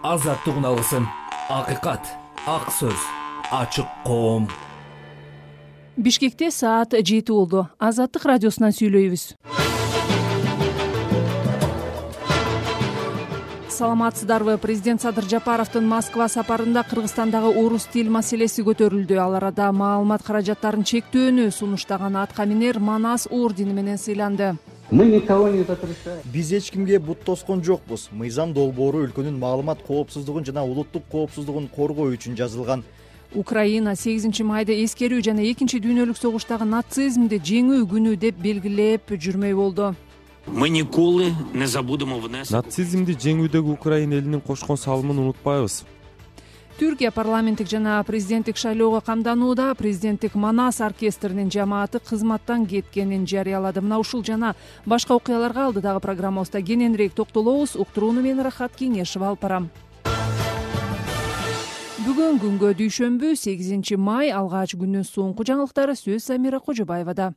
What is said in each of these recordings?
азаттык үналысын, акыйкат, ак сөз, ачык коом. Бишкекте саат 7 болду. Азаттык радиосунан сүйлөйбүз. Саламатсыздарбы? Президент Садыр Жапаровдун Москва сапарында Кыргызстандагы орус тил маселеси көтөрүлдү. Ал арада маалымат каражаттарын чектөөнү сунуштаган атка минер Манас ордени менен сыйланды. Мы никого не запрещаем. Биз эч кимге бут тоскон жокпуз. Мыйзам долбоору өлкөнүн маалымат коопсуздугун жана улуттук коопсуздугун коргоо үчүн жазылган. Украина 8 майда эскерүү жана 2 дүйнөлүк согуштагы нацизмди жеңүү күнү деп белгилеп жүрмөй болду. Мы николи не забудемо внесок. Нацизмди жеңүүдөгү Украина элинин кошкон салымын унутпайбыз. Түркия парламенттик жана президенттик шайлоого камданууда. Президенттик Манас оркестринин жамааты кызматтан кеткенин жарыялады. Мына ушул жана башка окуяларга алдыдагы программабызда кененирээк токтолобуз. Уктурууну мен Рахат Кеңешева алып барам. Бүгүн күнгө дүйшөмбү 8 май, алгач күндүн соңку жаңылыктары сөз Самира Кожобаевада.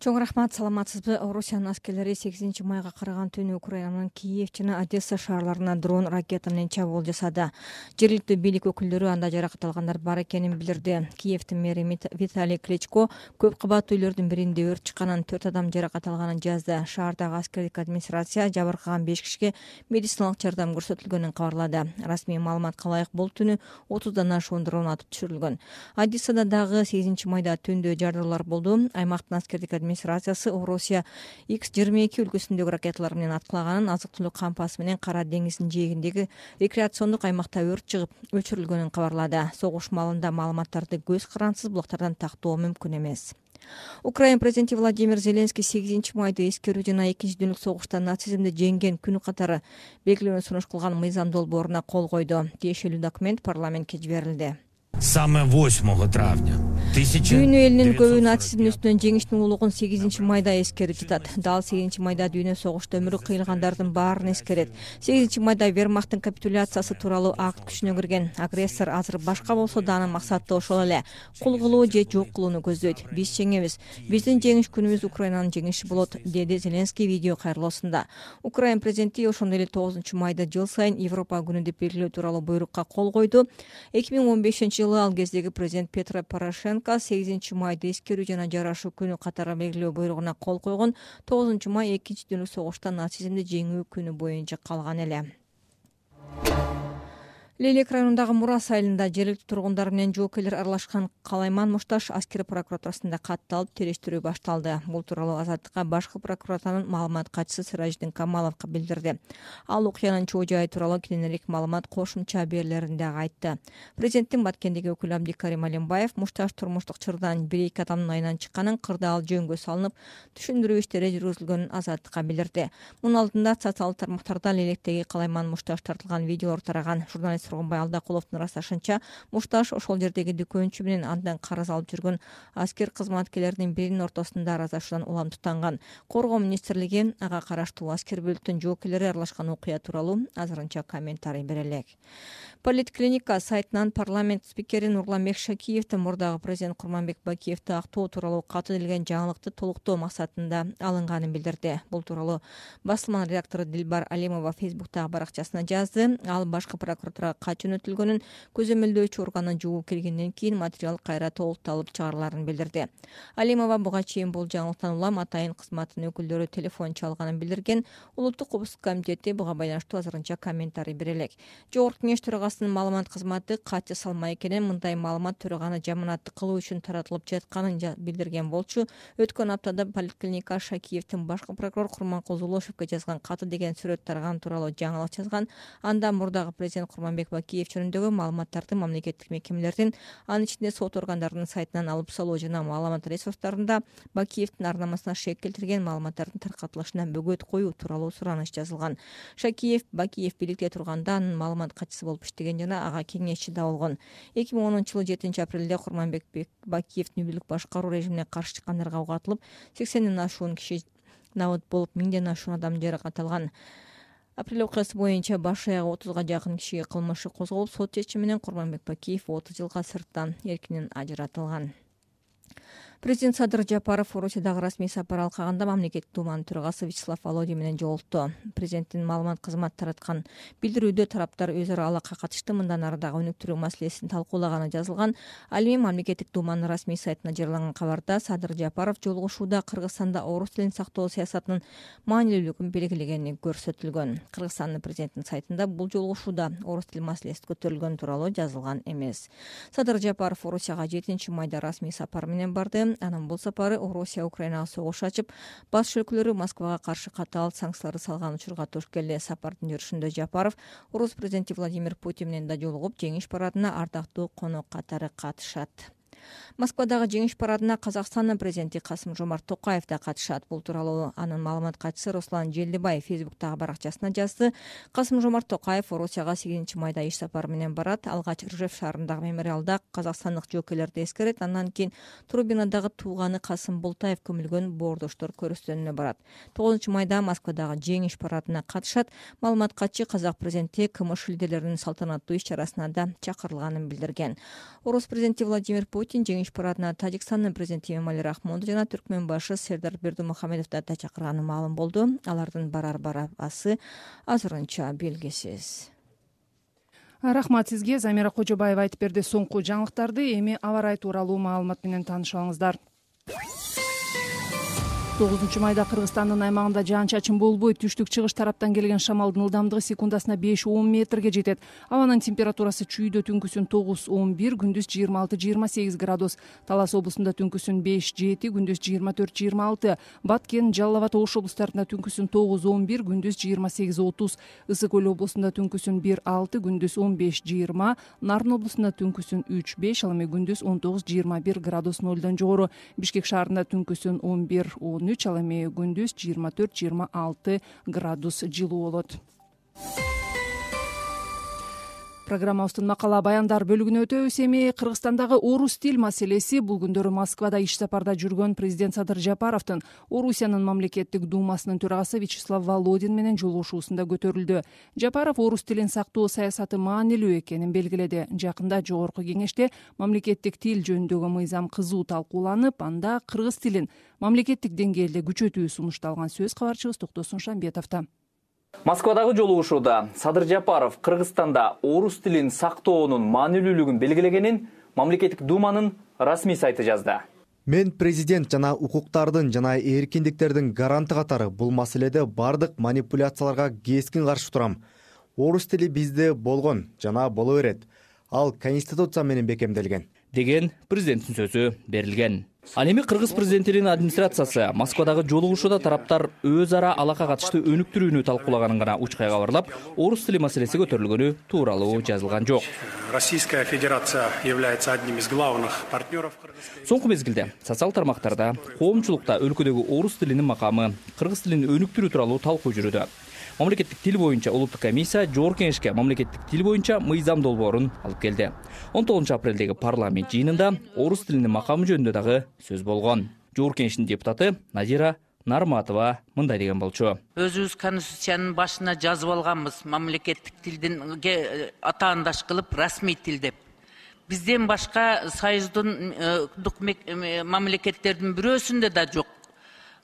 Чоң рахмат, саламатсызбы? Орусиянын аскерлери 8 майга караган түнү Украинанын Киев жана Одесса шаарларына дрон ракета менен чабуул жасады. Жергиликтүү бийлик өкүлдөрү анда жаракат алгандар бар экенин билдирди. Киевдин мэри Виталий Кличко көп кабаттуу үйлөрдүн биринде өрт чыкканын, 4 адам жаракат алганын жазды. Шаардагы аскердик администрация жабыркаган 5 кишиге медициналык жардам көрсөтүлгөнүн кабарлады. Расмий маалыматка ылайык бул түнү 30дан ашуун дрон атып түшүрүлгөн. Одессада дагы 8 майда түндө жардылуулар болду. Аймактын аскердик администрациясы Орусия X-22 өлкөсүндөгү ракеталар менен аткылаганын, азык-түлүк кампасы менен Кара деңиздин жээгиндеги рекреациондук аймакта өрт чыгып өчүрүлгөнүн кабарлады. Согуш маалында маалыматтарды көз карансыз булактардан тактоо мүмкүн эмес. Украина президенти Владимир Зеленский 8 майда эскерүү жана 2 дүйнөлүк согушта нацизмди жеңген күнү катары белгилөөнү сунуш кылган мыйзам долбооруна кол койду. Тиешелүү документ парламентке жиберилди. Саме 8 травня. Дүйнө элинин көбү нацизмдин үстүнөн жеңиштин улугун 8 майда эскерип жатат. Дал 8 майда дүйнө согушта өмүрү кыйылгандардын баарын эскерет. 8 майда Вермахттын капитуляциясы тууралуу акт күчүнө кирген. Агрессор азыр башка болсо да анын максаты ошол эле: кул кылуу же жок кылууну көздөйт. Биз жеңебиз. Биздин жеңиш күнүбүз Украинанын жеңиши болот, деди Зеленский видео кайрылуусунда. Украина президенти ошондой эле 9 майда жыл сайын Европа күнү деп белгилөө тууралуу буйрукка кол койду. 2015-жылы ал кездеги президент Петро Порошенко 8 майда эскерүү жана жарашуу күнү катары белгилөө буйругуна кол койгон. 9 май 2 дүйнөлүк согушта нацизмди жеңүү күнү боюнча калган эле. Лелек районундагы Мурас айылында жергиликтүү тургундар менен жоокерлер аралашкан Калайман Мушташ аскер прокуратурасында катталып, териштирүү башталды. Бул тууралуу Азаттыкка башкы прокуратуранын маалымат катчысы Сыраждин Камалов билдирди. Ал окуянын чоо жайы тууралуу кененирээк маалымат кошумча берүүлөрүндө айтты. Президенттин Баткендеги өкүлү Абдикарим Алимбаев Мушташ турмуштук чырдан 1-2 адамдын айынан чыкканын, кырдаал жөнгө салынып, түшүндүрүү иштери жүргүзүлгөнүн Азаттыкка билдирди. Мунун алдында социалдык тармактарда Лелектеги Калайман Мушташ тартылган видеолор тараган. Журналист Сургунбай Алдакуловдун ырасташынча, Мушташ ошол жердеги дүкөнчү менен андан карыз алып жүргөн аскер кызматкерлеринин биринин ортосунда аразашуудан улам тутанган. Коргоо министрлиги ага караштуу аскер бөлүктүн жоокерлери аралашкан окуя тууралуу азырынча комментарий бере элек. Политклиника сайтынан парламент спикери Нурламбек Шакиевдин мурдагы президент Курманбек Бакиевди актоо тууралуу каты келген жаңылыкты толуктоо максатында алынганын билдирди. Бул тууралуу басылманын редактору Дилбар Алимова Фейсбуктагы баракчасына жазды. Ал башкы прокуратурага кат жөнөтүлгөнүн, көзөмөлдөөчү органы жугуу келгенден кийин материал кайра толукталып чыгарыларын билдирди. Алимова буга чейин бул жаңылыктан улам атайын кызматтын өкүлдөрү телефон чалганын билдирген. Улуттук коопсуздук комитети буга байланыштуу азырынча комментарий бере элек. Жогорку кеңеш төрагасынын маалымат кызматы кат жасалмай экенин, мындай маалымат төраганы жаманаттык кылуу үчүн таратылып жатканын билдирген болчу. Өткөн аптада Политклиника Шакиевдин башкы прокурор Курманкул Зулушевке жазган каты деген сүрөт тараган тууралуу жаңылык жазган. Анда мурдагы президент Курманбек Бакиев жөнүндөгү маалыматтарды мамлекеттик мекемелердин, анын ичинде сот органдарынын сайтынан алып салуу жана маалымат ресурстарында Бакиевдин арнамасына шек келтирген маалыматтардын таркатылышына бөгөт коюу тууралуу сураныш жазылган. Шакиев Бакиев бийликте турганда анын маалымат катчысы болуп иштеген жана ага кеңешчи да болгон. 2010-жылы 7 апрелде Курманбек Бакиевдин бийлик башкаруу режимине каршы чыккандарга угатылып, 80ден ашуун киши набыт болуп, 1000ден ашуун адам жаракат алган. Апрель окуясы боюнча баш аягы 30га жакын кишиге кылмыш козголуп, сот чечими менен Курманбек Бакиев 30 жылга сырттан эркинен ажыратылган. Президент Садыр Жапаров Орусиядагы расмий сапар алкагында мамлекеттик думанын төрагасы Вячеслав Володин менен жолукту. Президенттин маалымат кызматы тараткан билдирүүдө тараптар өз ара алакка катышты, мындан ары дагы өнүктүрүү маселесин талкуулаганы жазылган. Ал эми мамлекеттик думанын расмий сайтына жарыяланган кабарда Садыр Жапаров жолугушууда Кыргызстанда орус тилин сактоо саясатынын маанилүүлүгүн белгилегени көрсөтүлгөн. Кыргызстандын президентинин сайтында бул жолугушууда орус тили маселеси көтөрүлгөн тууралуу жазылган эмес. Садыр Жапаров Орусияга 7 майда расмий сапар менен барды. Анын бул сапары Орусия Украинага согуш ачып, баш өлкөлөрү Москвага каршы катаал санкцияларды салган учурга туш келди. Сапардын жүрүшүндө Жапаров орус президенти Владимир Путин менен да жолугуп, жеңиш парадына ардактуу конок катары катышат. Москвадагы жеңиш парадына Казакстандын президенти Касым-Жомарт Токаев да катышат. Бул тууралуу анын маалымат катчысы Руслан Желдибаев Фейсбуктагы баракчасына жазды. Касым-Жомарт Токаев Орусияга 8 майда иш сапары менен барат. Алгач Ржев шаарындагы мемориалда казакстандык жоокейлерди эскерет. Андан кийин Турбинадагы тууганы Касым Бултаев көмүлгөн боордоштор көрүстөнүнө барат. 9 майда Москвадагы жеңиш парадына катышат. Маалымат катчы казак президенти КМШ лидерлеринин салтанаттуу иш-чарасына да чакырылганын билдирген. Орус президенти Владимир Путин жеңиш парадына Тажикстандын президенти Эмомали Рахмонду жана Түркмөн башы Сердар Бердимухамедовду да чакырганы маалым болду. Алардын барар барабасы азырынча белгисиз. Рахмат сизге, Замира Кожобаева айтып берди соңку жаңылыктарды. Эми аба ырайы тууралуу маалымат менен таанышабыңыздар. 9 майда Кыргызстандын аймагында жаан-чачын болбойт. Түштүк-чыгыш тараптан келген шамалдын ылдамдыгы секундасына 5-10 метрге жетет. Абанын температурасы чүйдө түнкүсүн 9-11, күндүз 26-28 градус. Талас облусунда түнкүсүн 5-7, күндүз 24-26. Баткен, Жалал Абад Ош облустарында түнкүсүн 9-11, күндүз 28-30. Ысык Көл облусунда түнкүсүн 1-6, күндүз 15-20. Нарын облусунда түнкүсүн 3-5, ал эми күндүз 19-21 градус нолдон жогору. Бишкек шаарында түнкүсүн 11-13, ал эми күндүз 24-26 градус жылуу болот. Программабыздын макала баяндар бөлүгүнө өтөбүз. Эми Кыргызстандагы орус тил маселеси бул күндөрү Москвада иш сапарда жүргөн президент Садыр Жапаровдун Орусиянын мамлекеттик думасынын төрагасы Вячеслав Володин менен жолугушуусунда көтөрүлдү. Жапаров орус тилин сактоо саясаты маанилүү экенин белгиледи. Жакында жогорку кеңеште мамлекеттик тил жөнүндөгү мыйзам кызуу талкууланып, анда кыргыз тилин мамлекеттик деңгээлде күчөтүү сунушталган. Сөз кабарчыбыз Токтосун Шамбетовдо. Москвадагы жолугушууда Садыр Жапаров Кыргызстанда орус тилин сактоонун маанилүүлүгүн белгилегенин мамлекеттик думанын расмий сайты жазды. Мен президент жана укуктардын жана эркиндиктердин гаранты катары бул маселеде бардык манипуляцияларга кескин каршы турам. Орус тили бизде болгон жана боло берет. Ал конституция менен бекемделген деген президенттин сөзү берилген. Ал эми кыргыз президентинин администрациясы Москвадагы жолугушууда тараптар өз ара алака катышты өнүктүрүүнү талкуулаганын гана учкай кабарлап, орус тили маселеси көтөрүлгөнү тууралуу жазылган жок. Российская Федерация является одним из главных партнеров. Соңку мезгилде социал тармактарда, коомчулукта өлкөдөгү орус тилинин макамы, кыргыз тилин өнүктүрүү тууралуу талкуу жүрүүдө. Мамлекеттик тил боюнча улуттук комиссия жогорку кеңешке мамлекеттик тил боюнча мыйзам долбоорун алып келди. 19 апрелдеги парламент жыйынында орус тилинин макамы жөнүндө дагы сөз болгон. Жогорку кеңештин депутаты Назира Нарматова мындай деген болчу. Өзүбүз конституциянын башына жазып алганбыз, мамлекеттик тилдин атаандаш кылып расмий тил деп. Бизден башка союздун мамлекеттердин бирөөсүндө да жок.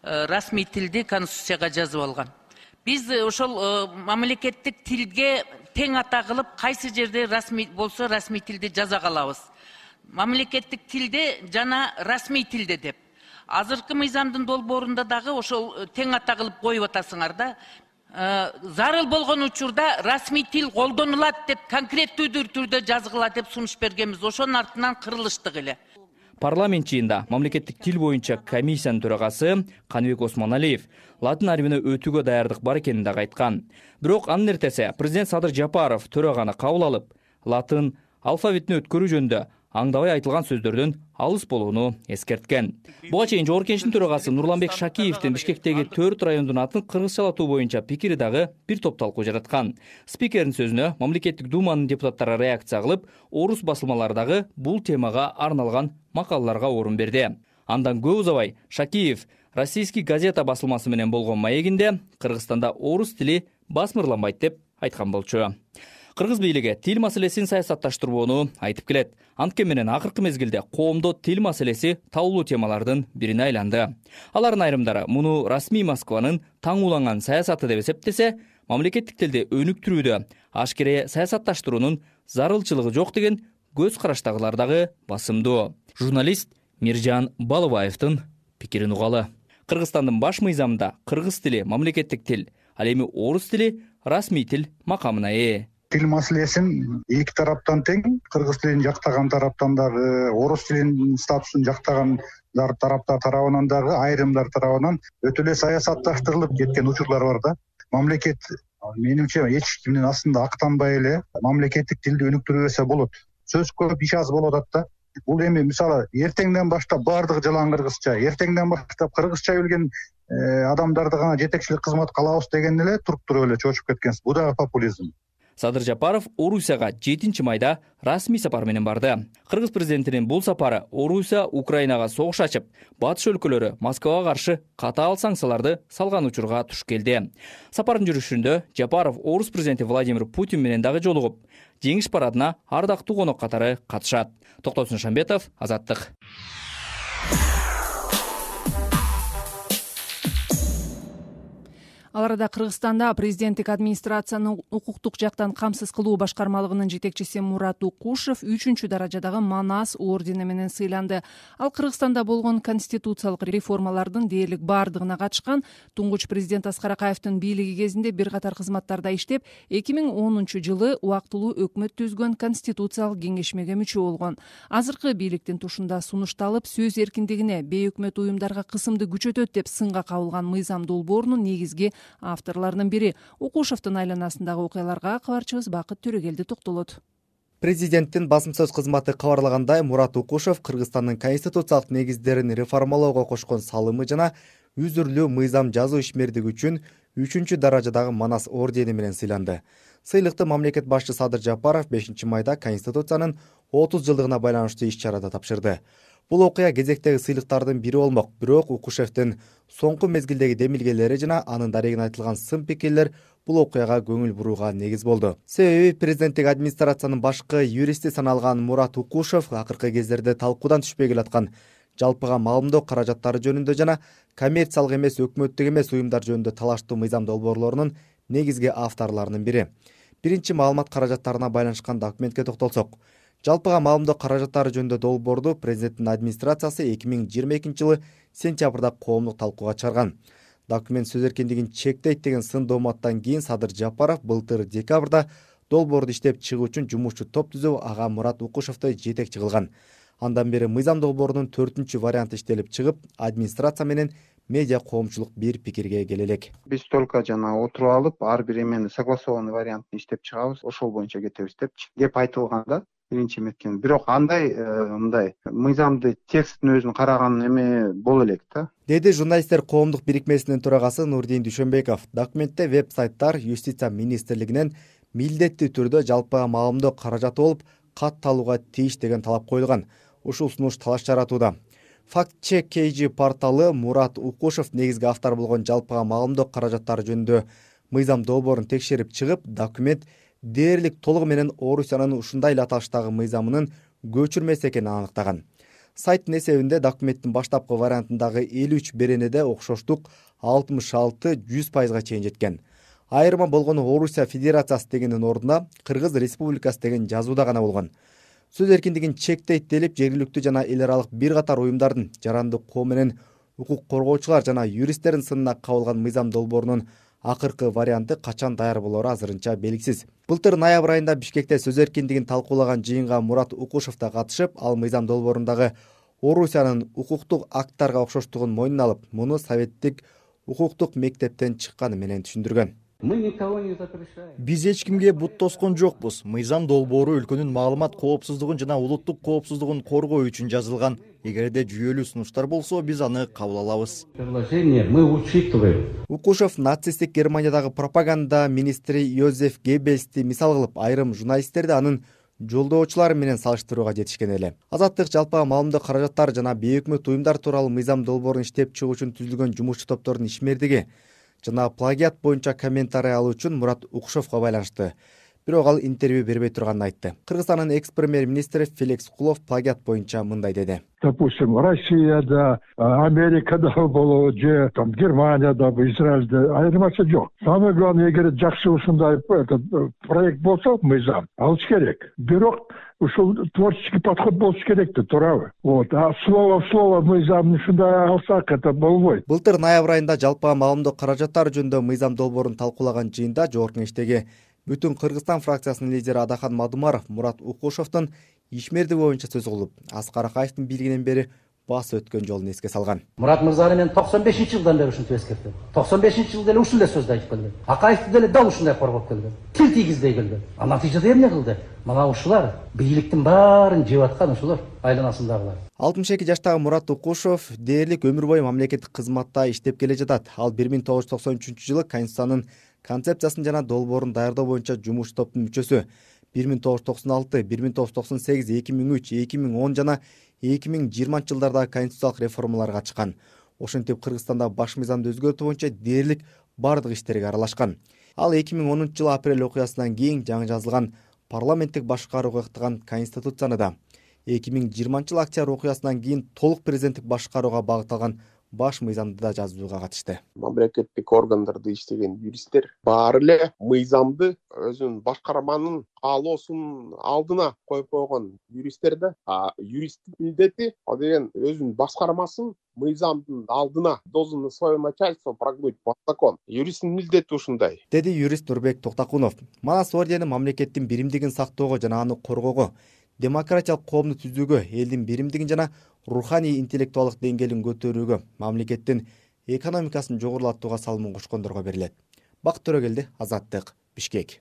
Расмий тилди конституцияга жазып алган. Биз ошол мамлекеттик тилге тең ата кылып, кайсы жерде расмий болсо расмий тилди жаза калабыз. Мамлекеттик тилде жана расмий тилде деп. Азыркы мыйзамдын долбоорунда дагы ошол тең ата кылып коюп атасыңар да. Зарыл болгон учурда расмий тил колдонулат деп конкреттүү түрдө жазгыла деп сунуш бергенбиз. Ошонун артынан кырылыштык эле. Парламент жыйында мамлекеттик тил боюнча комиссиянын төрагасы Каныбек Осмоналиев латын арбине өтүүгө даярдык бар экенин дагы айткан. Бирок анын эртеси президент Садыр Жапаров төраганы кабыл алып, латын алфавитине өткөрүү жөнүндө аңдабай айтылган сөздөрдөн алыс болууну эскерткен. Буга чейин жогорку кеңештин төрагасы Нурланбек Шакиевдин Бишкектеги 4 райондун атын кыргызчалатуу боюнча пикири дагы бир топ талкуу жараткан. Спикердин сөзүнө мамлекеттик думанын депутаттары реакция кылып, орус басылмалары дагы бул темага арналган макалаларга орун берди. Андан көп узабай Шакиев Российский газета басылмасы менен болгон маегинде Кыргызстанда орус тили басмырланбайт деп айткан болчу. Кыргыз бийлиги тил маселесин саясатташтырбоону айтып келет. Анткени менен акыркы мезгилде коомдо тил маселеси табылуу темалардын бирине айланды. Алардын айрымдары муну расмий Москванын таң уланган саясаты деп эсептесе, мамлекеттик тилди өнүктүрүүдө ашкере саясатташтыруунун зарылчылыгы жок деген көз караштагылар дагы басымдуу. Журналист Миржан Балыбаевдин пикирин угалы. Кыргызстандын баш мыйзамында кыргыз тили мамлекеттик тил, ал эми орус тили расмий тил макамына ээ. Тил маселесин эки тараптан тең, кыргыз тилин жактаган тараптан дагы, орус тилинин статусун жактаган тараптар тарабынан дагы, айрымдар тарабынан өтө эле саясатташтырылып кеткен учурлар бар да. Мамлекет менимче эч кимдин астында актанбай эле мамлекеттик тилди өнүктүрө болот. Сөз көп, иш аз болуп атат да. Бул эми мисалы эртеңден баштап баардыгы жалаң кыргызча, эртеңден баштап кыргызча билген адамдарды гана жетекчилик кызмат кылабыз деген эле туруп эле чочуп кеткенсиз. Бул дагы популизм. Садыр Жапаров Орусияга 7-майда расмий сапар менен барды. Кыргыз президентинин бул сапары Орусия Украинага согуш ачып, батыш өлкөлөрү Москвага каршы катаал санкцияларды салган учурга туш келди. Сапардын жүрүшүндө Жапаров орус президенти Владимир Путин менен дагы жолугуп, жеңиш парадына ардактуу конок катары катышат. Токтосун Шамбетов, Азаттык. Ал арада Кыргызстанда президенттик администрациянын укуктук жактан камсыз кылуу башкармалыгынын жетекчиси Мурат Укушев 3-чү даражадагы Манас ордени менен сыйланды. Ал Кыргызстанда болгон конституциялык реформалардын дээрлик бардыгына катышкан. Туңгуч президент Аскар Акаевдин бийлиги кезинде бир катар кызматтарда иштеп, 2010-жылы убактылуу өкмөт түзгөн конституциялык кеңешмеге мүчө болгон. Азыркы бийликтин тушунда сунушталып, сөз эркиндигине, бейөкмөт уюмдарга кысымды күчөтөт деп сынга кабылган мыйзам долбоорунун негизги авторлорунун бири. Укушевдун айланасындагы окуяларга кабарчыбыз Бакыт Төрөгелди токтолот. Президенттин басым сөз кызматы кабарлагандай, Мурат Укушев Кыргызстандын конституциялык негиздерин реформалоого кошкон салымы жана үзүрлүү мыйзам жазуу ишмердиги үчүн 3-чү даражадагы Манас ордени менен сыйланды. Сыйлыкты мамлекет башчысы Садыр Жапаров 5-майда Конституциянын 30 жылдыгына байланыштуу иш-чарада тапшырды. Бул окуя кезектеги сыйлыктардын бири болмок, бирок Укушевдин соңку мезгилдеги демилгелери жана анын дарегине айтылган сын пикирлер бул окуяга көңүл бурууга негиз болду. Себеби президенттик администрациянын башкы юристи саналган Мурат Укушев акыркы кездерде талкуудан түшпөй келаткан жалпыга маалымдоо каражаттары жөнүндө жана коммерциялык эмес, өкмөттүк эмес уюмдар жөнүндө талаштуу мыйзам долбоорлорунун негизги авторлорунун бири. Биринчи маалымат каражаттарына байланышкан документке токтолсок, жалпыга маалымдоо каражаттары жөнүндө долбоорду президенттин администрациясы 2022-жылы сентябрда коомдук талкууга чыгарган. Документ сөз эркиндигин чектейт деген сын дооматтан кийин Садыр Жапаров былтыр декабрда долбоорду иштеп чыгуу үчүн жумушчу топ түзүп, ага Мурат Укушевду жетекчи кылган. Андан бери мыйзам долбоорунун 4-чү варианты иштелип чыгып, администрация менен медиа коомчулук бир пикирге келе элек. Биз только жана отуруп алып, ар бир эмени согласованный вариантын иштеп чыгабыз, ошол боюнча кетебиз депчи деп айтылганда биринчи меткен. Бирок андай мындай мыйзамды текстин өзүн караган эме боло элек да. Деди журналисттер коомдук бирикмесинин төрагасы Нурдин Дүйшөнбеков. Документте веб-сайттар Юстиция министрлигинен милдеттүү түрдө жалпыга маалымдоо каражаты болуп катталууга тийиш деген талап коюлган. Ушул сунуш талаш жаратууда. Фактчек KG порталы Мурат Укушев негизги автор болгон жалпыга маалымдоо каражаттары жөнүндө мыйзам долбоорун текшерип чыгып, документ дээрлик толугу менен Орусиянын ушундай эле аталыштагы мыйзамынын көчүрмеси экенин аныктаган. Сайттын эсебинде документтин баштапкы вариантындагы 53 беренеде окшоштук 66-100%га чейин жеткен. Айырма болгону Орусия Федерациясы дегендин ордуна Кыргыз Республикасы деген жазууда гана болгон. Сөз эркиндигин чектейт делип, жергиликтүү жана эл аралык бир катар уюмдардын, жарандык коом менен укук коргоочулар жана юристтердин сынына кабылган мыйзам долбоорунун акыркы варианты качан даяр болору азырынча белгисиз. Былтыр ноябрь айында Бишкекте сөз эркиндигин талкуулаган жыйынга Мурат Укушев да катышып, ал мыйзам долбоорундагы Орусиянын укуктук акттарга окшоштугун мойнуна алып, муну советтик укуктук мектептен чыкканы менен түшүндүргөн. Мы никого не запрещаем. Биз эч кимге бут тоскон жокпуз. Мыйзам долбоору өлкөнүн маалымат коопсуздугун жана улуттук коопсуздугун коргоо үчүн жазылган. Эгерде жүйөлүү сунуштар болсо, биз аны кабыл алабыз. Предложение мы учитываем. Укушев нацисттик Германиядагы пропаганда министри Йозеф Геббельсти мисал кылып, айрым журналисттерди анын жолдоочулары менен салыштырууга жетишкен эле. Азаттык жалпыга маалымдоо каражаттары жана бейөкмөт уюмдар тууралуу мыйзам долбоорун иштеп чыгуу үчүн түзүлгөн жумушчу топтордун ишмердиги жана плагиат боюнча комментарий алуу үчүн Мурат Укушевго байланышты. бирок ал интервью бербей турганын айтты. Кыргызстандын экс-премьер-министри Феликс Кулов плагиат боюнча мындай деди. Допустим, Россияда, Америкада болобу же Германияда, Израильде айырмасы жок. Самое главное, эгер жакшы ушундай проект болсо, мыйзам алыш керек. Бирок ушул творческий подход болуш керек да, туурабы? А слово в слово мыйзамды ушундай алсак, это болбойт. Былтыр ноябрь айында жалпыга маалымдоо каражаттары жөнүндө мыйзам долбоорун талкуулаган жыйында Жогорку Кеңештеги Бүтүн Кыргызстан фракциясынын лидери Адахан Мадумаров Мурат Укушевдун ишмердиги боюнча сөз кылып, Аскар Акаевдин бийлигинен бери баш өткөн жолун эске салган. Мурат мырзаны мен 95-жылдан бери ушинтип эскертем. 95-жылы деле ушундай сөздү айтып келген. Акаевди деле дал ушундай коргоп келген. Тил тийгизбей келген. А натыйжада эмне кылды? Мына ушулар бийликтин баарын жеп аткан ушулар айланасындагылар. 62 жаштагы Мурат Укушев дээрлик өмүр бою мамлекеттик кызматта иштеп келе жатат. Ал 1993-жылы Конституциянын концепциясын жана долбоорун даярдоо боюнча жумуш топтун мүчөсү. 1996, 1998, 2003, 2010 жана 2020 жылдардагы конституциялык реформаларга катышкан. Ошентип Кыргызстанда баш мыйзамды өзгөртүү боюнча дээрлик бардык иштерге аралашкан. Ал 2010-жылы апрель окуясынан кийин жаңы жазылган парламенттик башкарууга ыктаган конституцияны да 2020-жылы октябрь окуясынан кийин толук президенттик башкарууга багытталган баш мыйзамды да жазууга катышты. Мамлекеттик органдарда иштеген юристтер баары эле мыйзамды өзүнүн башкарманын каалоосунун алдына коюп койгон юристтер да. Юристтин милдети ал деген өзүнүн башкармасын мыйзамдын алдына должен свое начальство прогнуть под закон. Юристтин милдети ушундай. Деди юрист Нурбек Токтакунов. Манас ордени мамлекеттин биримдигин сактоого жана аны коргоого, демократиялык коомду түзүүгө, элдин биримдигин жана руханий интеллектуалдык деңгээлин көтөрүүгө, мамлекеттин экономикасын жогорулатууга салымын кошкондорго берилет. Бакыт Төрөгелди, Азаттык, Бишкек.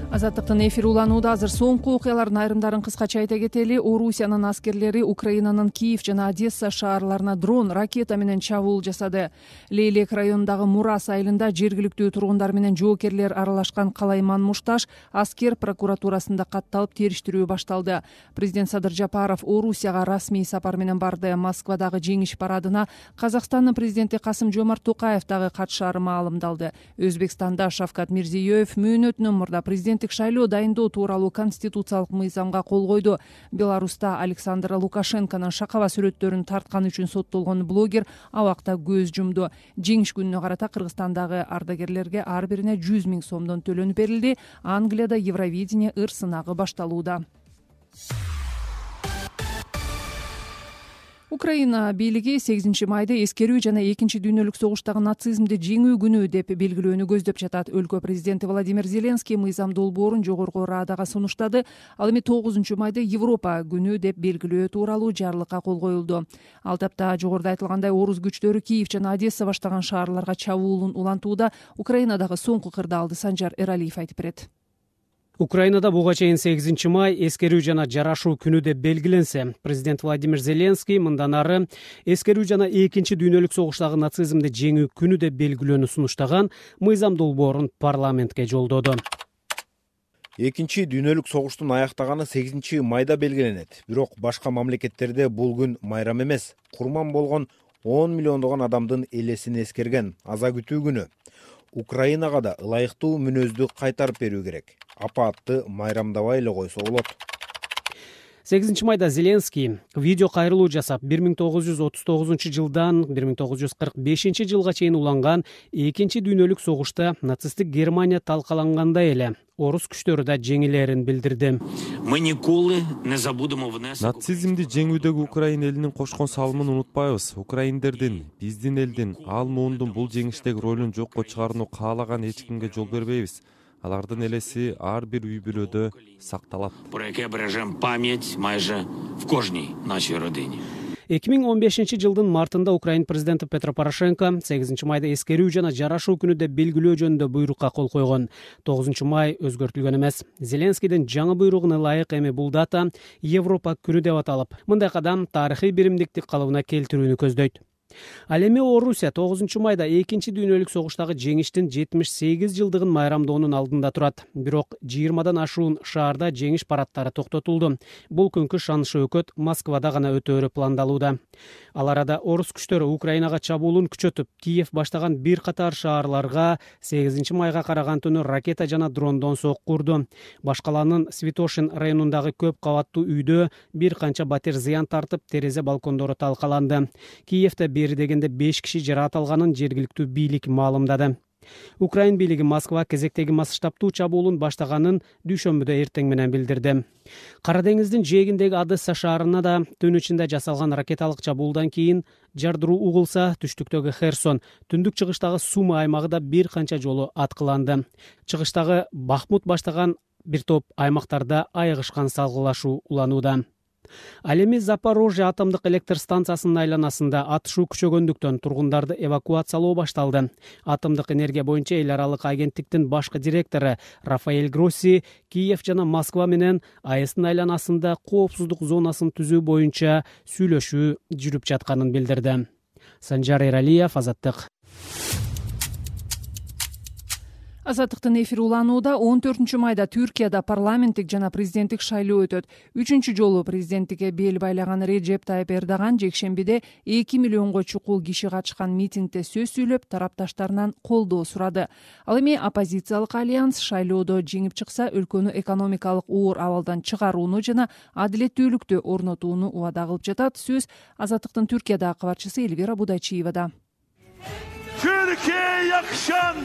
Азаттыктын эфири уланууда. Азыр соңку окуялардын айрымдарын кыскача айта кетели. Орусиянын аскерлери Украинанын Киев жана Одесса шаарларына дрон, ракета менен чабуул жасады. Лейлек районундагы Мурас айылында жергиликтүү тургундар менен жоокерлер аралашкан Калайман Мушташ аскер прокуратурасында катталып териштирүү башталды. Президент Садыр Жапаров Орусияга расмий сапар менен барды. Москвадагы жеңиш парадына Казакстандын президенти Касым Жомарт Токаев дагы катышаары маалымдалды. Өзбекстанда Шавкат Мирзиёев мөөнөтүнөн мурда президент шайлоо дайындоо тууралуу конституциялык мыйзамга кол койду. Беларуста Александр Лукашенконун шакаба сүрөттөрүн тарткан үчүн соттолгон блогер абакта көз жумду. Жеңиш күнүнө карата Кыргызстандагы ардагерлерге ар бирине 100 000 сомдон төлөнүп берилди. Англияда Евровидение ыр сынагы башталууда. Украина бийлиги 8 майда эскерүү жана 2-дүйнөлүк согуштагы нацизмди жеңүү күнү деп белгилөөнү көздөп жатат. Өлкө президенти Владимир Зеленский мыйзам долбоорун жогорку Радага сунуштады. Ал эми 9 майда Европа күнү деп белгилөө тууралуу жарлыкка кол коюлду. Ал тапта жогоруда айтылгандай орус күчтөрү Киев жана Одесса баштаган шаарларга чабуулун улантууда. Украинадагы соңку кырдаалды Санжар Эралиев айтып берет. Украинада буга чейин 8 май эскерүү жана жарашуу күнү деп белгиленсе, президент Владимир Зеленский мындан ары эскерүү жана 2-дүйнөлүк согуштагы нацизмди жеңүү күнү деп белгилөөнү сунуштаган мыйзам долбоорун парламентке жолдоду. 2-дүйнөлүк согуштун аяктаганы 8 майда белгиленет. Бирок башка мамлекеттерде бул күн майрам эмес. Курман болгон 10 миллиондогон адамдын элесин эскерген аза күтүү күнү. Украинага да ылайыктуу мүнөздү кайтарып берүү керек. Апатты майрамдабай эле койсо болот. 8 майда Зеленский видео кайрылуу жасап, 1939 жылдан 1945 жылга чейин уланган 2-дүйнөлүк согушта нацисттик Германия талкалангандай эле орус күчтөрү да жеңилерин билдирди. Мы николы не забудемо внесок. Нацизмди жеңүүдөгү Украин элинин кошкон салымын унутпайбыз. Украиндердин, биздин элдин, ал муундун бул жеңиштеги ролун жокко чыгарууну каалаган эч кимге жол бербейбиз. Алардын элеси ар бир үй бүлөдө сакталат. Про яке бережем память майже в кожній нашій родині. 2015 жылдын мартында Украин президенти Петро Порошенко 8 майда эскерүү жана жарашуу күнү деп белгилөө жөнүндө буйрукка кол койгон. 9 май өзгөртүлгөн эмес. Зеленскийдин жаңы буйругуна ылайык эми бул дата Европа күнү деп аталып, мындай кадам тарыхый биримдикти калыбына келтирүүнү көздөйт. Ал эми Орусия 9 майда экинчи дүйнөлүк согуштагы жеңиштин 78 жылдыгын майрамдоонун алдында турат. Бирок 20дан ашуун шаарда жеңиш парадтары токтотулду. Бул күнкү шанышы өкөт Москвада гана өтөөрү пландалууда. Ал арада орус күчтөрү Украинага чабуулун күчөтүп, Киев баштаган бир катар шаарларга 8 майга караган түнү ракета жана дрондон сокку урду. Башкаланын Святошин районундагы көп кабаттуу үйдө бир канча батир зыян тартып, терезе балкондору талкаланды. Киевде бери дегенде 5 киши жаракат алганын жергиликтүү бийлик маалымдады. Украин бийлиги Москва кезектеги масштабтуу чабуулун баштаганын дүйшөмбүдө эртең менен билдирди. Кара деңиздин жээгиндеги Одесса шаарына да түн ичинде жасалган ракеталык чабуулдан кийин жардыруу угулса, түштүктөгү Херсон, түндүк чыгыштагы Сума аймагы да бир канча жолу аткыланды. Чыгыштагы Бахмут баштаган бир топ аймактарда айыгышкан салгылашуу уланууда. Ал эми Запорожье атомдук электр станциясынын айланасында атышуу күчөгөндүктөн тургундарды эвакуациялоо башталды. Атомдук энергия боюнча эл аралык агенттиктин башкы директору Рафаэль Гросси Киев жана Москва менен АЭСтин айланасында коопсуздук зонасын түзүү боюнча сүйлөшүү жүрүп жатканын билдирди. Санжар Эралиев, Азаттык. Азаттыктын эфири уланууда. 14-майда Түркияда парламенттик жана президенттик шайлоо өтөт. 3 жолу президенттикке бел байлаган Реджеп Тайып Эрдоган жекшембиде 2 миллионго чукул киши катышкан митингде сөз сүйлөп, тарапташтарынан колдоо сурады. Ал эми оппозициялык альянс шайлоодо жеңип чыкса, өлкөнү экономикалык оор абалдан чыгарууну жана адилеттүүлүктү орнотууну убада кылып жатат. Сөз Азаттыктын Түркиядагы кабарчысы Эльвира Будайчиевада. Türkiye'ye yakışan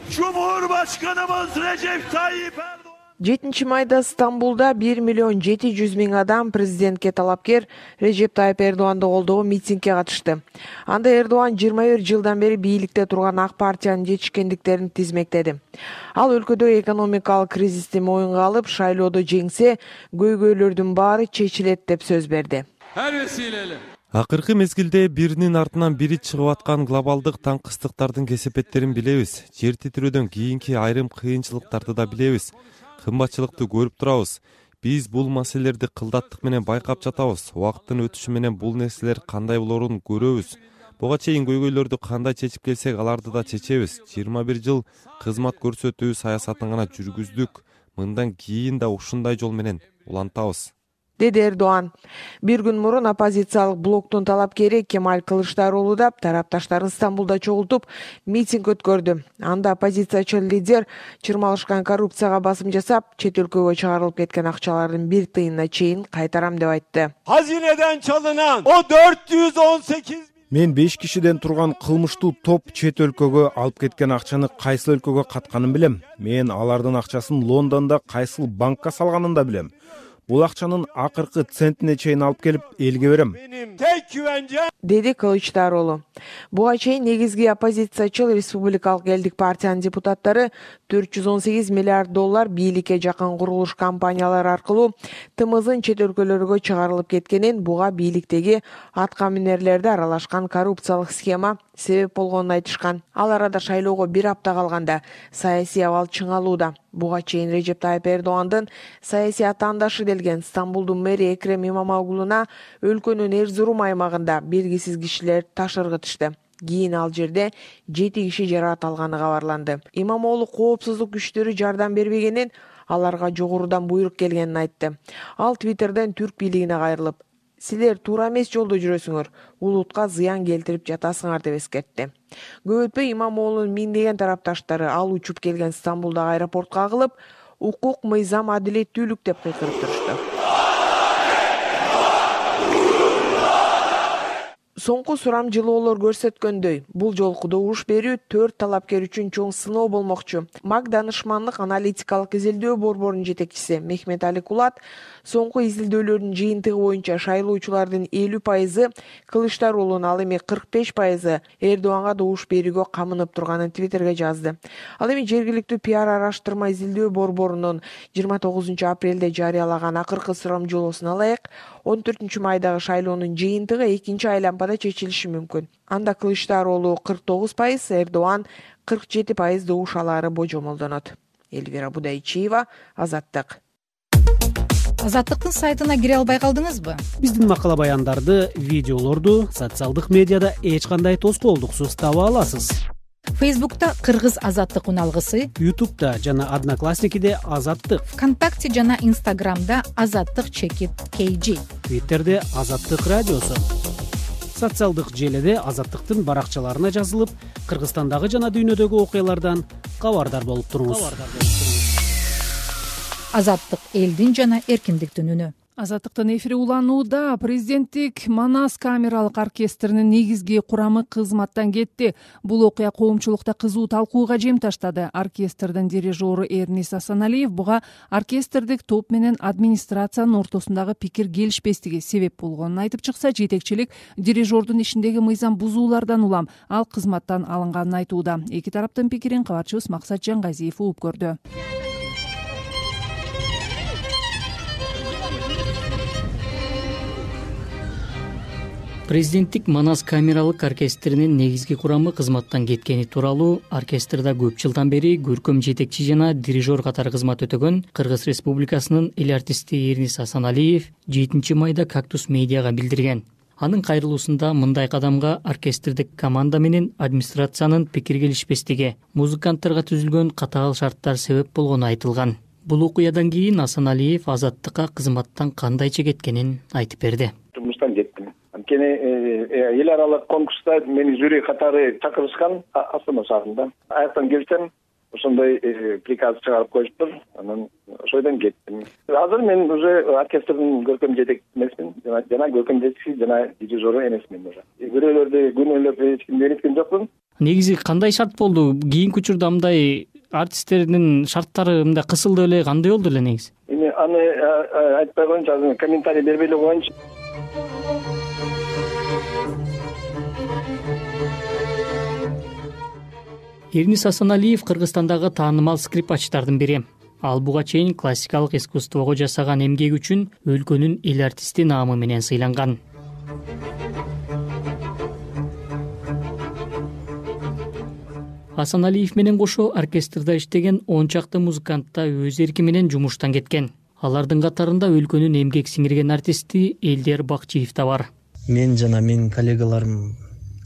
Cumhurbaşkanımız Recep Tayyip Erdoğan. 7 майда Стамбулда 1.700.000 адам президентке талапкер Режеп Тайып Эрдоганды колдоо митингге катышты. Анда Эрдоган 21 жылдан бери бийликте турган ак партиянын жетишкендиктерин тизмектеди. Ал өлкөдөгү экономикалык кризисти моюнга алып, шайлоодо жеңсе, көйгөйлөрдүн баары чечилет деп сөз берди. Her vesileyle Акыркы мезгилде биринин артынан бири чыгып аткан глобалдык таңкыстыктардын кесепеттерин билебиз. Жер титирөөдөн кийинки айрым кыйынчылыктарды да билебиз. Кымбатчылыкты көрүп турабыз. Биз бул маселелерди кылдаттык менен байкап жатабыз. Убакыттын өтүшү менен бул нерселер кандай болоорун көрөбүз. Буга чейин көйгөйлөрдү кандай чечип келсек, аларды да чечебиз. 21 жыл кызмат көрсөтүү саясатын гана жүргүздүк. Мындан кийин да ушундай жол менен улантабыз, деди Эрдоган. Бир күн мурун оппозициялык блоктун талапкери Кемаль Кылычдароğlu да тарапташтарын Стамбулда чогултуп митинг өткөрдү. Анда оппозициячы лидер чырмалышкан коррупцияга басым жасап, чет өлкөгө чыгарылып кеткен акчалардын 1 тыйынына чейин кайтарам деп айтты. Hazineden çalınan o 418 Мен 5 кишиден турган кылмыштуу топ чет өлкөгө алып кеткен акчаны кайсыл өлкөгө катканын билем. Мен алардын акчасын Лондондо кайсыл банкка салганын да билем. Бул акчанын акыркы центине чейин алып келип элге берем, деди Кылычдароğlu. Буга чейин негизги оппозициячыл Республикалык элдик партиянын депутаттары $418 миллиард бийликке жакын курулуш компаниялары аркылуу ТМЗдын чет өлкөлөргө чыгарылып кеткенин, буга бийликтеги аткаминерлерди аралашкан коррупциялык схема себеп болгонун айтышкан. Ал арада шайлоого 1 апта калганда саясий абал чыңалууда. Буга чейин Режеп Тайып Эрдогандын саясий атаандашы делген Стамбулдун мэри Экрем Имамоглуна өлкөнүн Эрзурум аймагында белгисиз кишилер таш ыргытышты. Кийин ал жерде 7 киши жаракат алганы кабарланды. Имамоглу коопсуздук күчтөрү жардам бербегенин, аларга жогорудан буйрук келгенин айтты. Ал Твиттерден түрк бийлигине кайрылып, силер туура эмес жолдо жүрөсүңөр, улутка зыян келтирип жатасыңар деп эскертти. Көп өтпөй Имамоглунун миңдеген тарапташтары ал учуп келген Стамбулдагы аэропортко агылып, укук, мыйзам, адилеттүүлүк деп кыйкырып турушту. Соңку сурамжылоолор көрсөткөндөй, бул жолку добуш берүү 4 талапкер үчүн чоң сыноо болмокчу. МАК данышмандык аналитикалык изилдөө борборунун жетекчиси Мехмет Али Кулат соңку изилдөөлөрдүн жыйынтыгы боюнча шайлоочулардын 50% Кылычдароğlu'нун, ал эми 45% Эрдоганга добуш берүүгө камынып турганын Твиттерге жазды. Ал эми жергиликтүү пиар араштырма изилдөө борборунун 29 апрелде жарыялаган акыркы сурамжылоосуна ылайык 14 майдагы шайлоонун жыйынтыгы 2 айлампада чечилиши мүмкүн. Анда Кылычдароğlu 49%, Эрдоган 47% добуш алаары божомолдонот. Эльвира Будайчиева, Азаттык. Азаттыктын сайтына кире албай калдыңызбы? Биздин макала баяндарды, видеолорду социалдык медиада эч кандай тоскоолдуксуз таба аласыз. Фейсбукта Кыргыз Азаттык уналгысы, Ютубта жана Одноклассникиде Азаттык, ВКонтакте жана Инстаграмда Азаттык _KG, Твиттерде Азаттык радиосу. Социалдык желиде Азаттыктын баракчаларына жазылып, Кыргызстандагы жана дүйнөдөгү окуялардан кабардар болуп туруңуз. Азаттык элдин жана эркиндиктин үнү. Азаттыктын эфири уланууда. Президенттик Манас камералык оркестринин негизги курамы кызматтан кетти. Бул окуя коомчулукта кызуу талкууга жем таштады. Оркестрдин дирижеру Эрнис Асаналиев буга оркестрдик топ менен администрациянын ортосундагы пикир келишпестиги себеп болгонун айтып чыкса, жетекчилик дирижердун ишиндеги мыйзам бузуулардан улам ал кызматтан алынганын айтууда. Эки тараптын пикирин кабарчыбыз Максат Жаңгазиев угуп көрдү. Президенттик Манас камералык оркестринин негизги курамы кызматтан кеткени тууралуу оркестрда көп жылдан бери көркөм жетекчи жана дирижер катары кызмат өтөгөн Кыргыз Республикасынын эл артисти Эрнис Асаналиев 7 майда Кактус медиага билдирген. Анын кайрылуусунда мындай кадамга оркестрдик команда менен администрациянын пикир келишпестиги, музыканттарга түзүлгөн катаал шарттар себеп болгону айтылган. Бул окуядан кийин Асаналиев Азаттыкка кызматтан кандайча кеткенин айтып берди. Жумуштан кеттим. Анткени эл аралык конкурста мени жюри катары чакырышкан Астана шаарында. Аяктан келсем, ошондой приказ чыгарып коюштур. Анан ошойдон кеттим. Азыр мен уже оркестрдин көркөм жетекчиси эмесмин, жана көркөм жетекчиси жана дирижеру эмесмин уже. Бирөөлөрдү күнөөлөп эч кимди ээриткен жокмун. Негизи кандай шарт болду? Кийинки учурда мындай артисттердин шарттары мындай кысылды эле, кандай болду эле негизи? Эми аны айтпай коеюнчу, комментарий бербей эле коеюнчу. Эрнис Асаналиев Кыргызстандагы таанымал скрипачтардын бири. Ал буга чейин классикалык искусствого жасаган эмгеги үчүн өлкөнүн эл артисти наамы менен сыйланган. Асаналиев менен кошо оркестрда иштеген 10 чакты музыкант да өз эрки менен жумуштан кеткен. Алардын катарында өлкөнүн эмгек сиңирген артисти Элдер Бакчиев да бар. Мен жана менин коллегаларым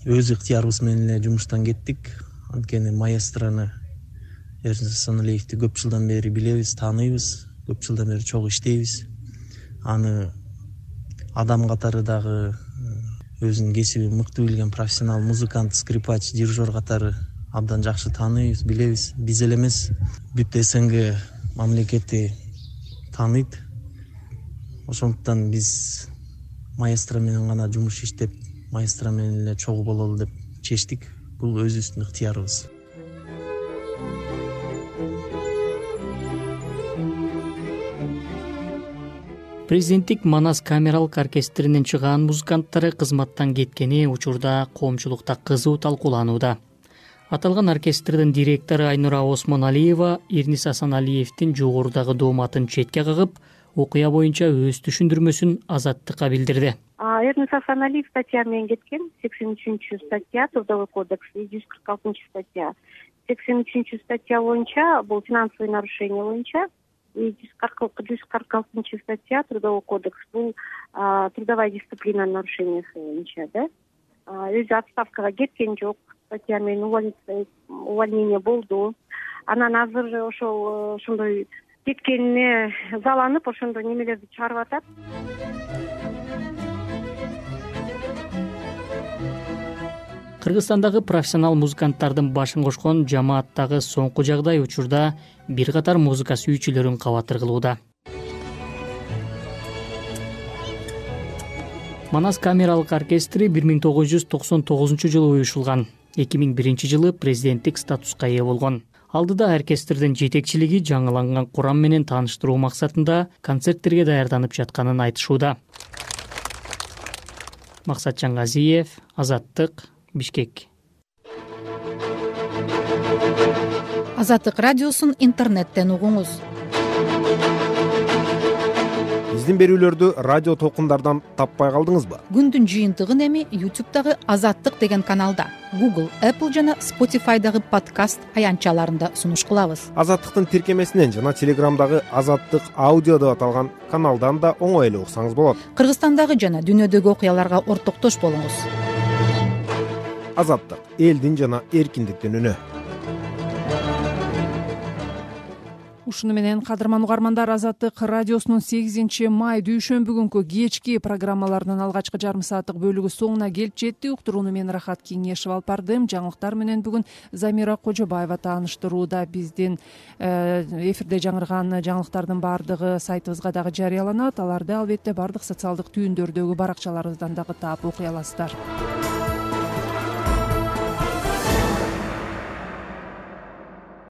өз ыктыярыбыз менен эле жумуштан кеттик. Анткени маэстрону Эрнис Асаналиевди көп жылдан бери билебиз, тааныйбыз, көп жылдан бери чогуу иштейбиз. Аны адам катары дагы өзүнүн кесибин мыкты билген профессионал музыкант, скрипач, дирижер катары абдан жакшы тааныйбыз, билебиз. Биз эле эмес, бүт СНГ мамлекети тааныйт. Ошондуктан биз маэстро менен гана жумуш иштеп, маэстро менен эле чогуу бололу деп чечтик. Бул өзүбүздүн ыктыярыбыз. Президенттик Манас камералык оркестринин чыгаан музыканттары кызматтан кеткени учурда коомчулукта кызуу талкууланууда. Аталган оркестрдин директору Айнура Осмоналиева Эрнис Асаналиевдин жогорудагы дооматын четке кагып, окуя боюнча өз түшүндүрмөсүн Азаттыкка билдирди. Эрнис Асаналиев статья менен кеткен, 83 статья Трудовой кодекс и 146 статья. 83 статья боюнча бул финансовый нарушение боюнча, и 146 статья Трудовой кодекс бул трудовая дисциплина нарушениясы боюнча, да. Өзү отставкага кеткен жок, статья менен увольнение болду. Анан азыр ошондой кеткенине заланып, ошондой немелерди чыгарып атат. Кыргызстандагы профессионал музыканттардын башын кошкон жамааттагы соңку жагдай учурда бир катар музыка сүйүүчүлөрүн кабатыр кылууда. Манас камералык оркестри 1999 жылы уюшулган. 2001 жылы президенттик статуска ээ болгон. Алдыда оркестрдин жетекчилиги жаңыланган курам менен тааныштыруу максатында концерттерге даярданып жатканын айтышууда. Максат Жаңгазиев, Азаттык, Бишкек. Азаттык радиосун интернеттен угуңуз. биздин берүүлөрдү радио толкундардан таппай калдыңызбы? Күндүн жыйынтыгын эми YouTube'дагы Азаттык деген каналда, Google, Apple жана Spotify'дагы подкаст аянтчаларында сунуш кылабыз. Азаттыктын тиркемесинен жана Телеграмдагы Азаттык аудио деп аталган каналдан да оңой эле уксаңыз болот. Кыргызстандагы жана дүйнөдөгү окуяларга ортоктош болуңуз. Азаттык — элдин жана эркиндиктин үнү. Ушуну менен кадырман угармандар, Азаттык радиосунун 8 май дүйшөмбү күнкү кечки программаларынын алгачкы жарым сааттык бөлүгү соңуна келип жетти. Уктурууну мен Рахат Кеңешев алып бардым. Жаңылыктар менен бүгүн Замира Кожобаева тааныштырууда. Биздин эфирде жаңырган жаңылыктардын баардыгы сайтыбызга дагы жарыяланат. Аларды албетте баардык социалдык түйүндөрдөгү баракчаларыбыздан дагы таап окуй аласыздар.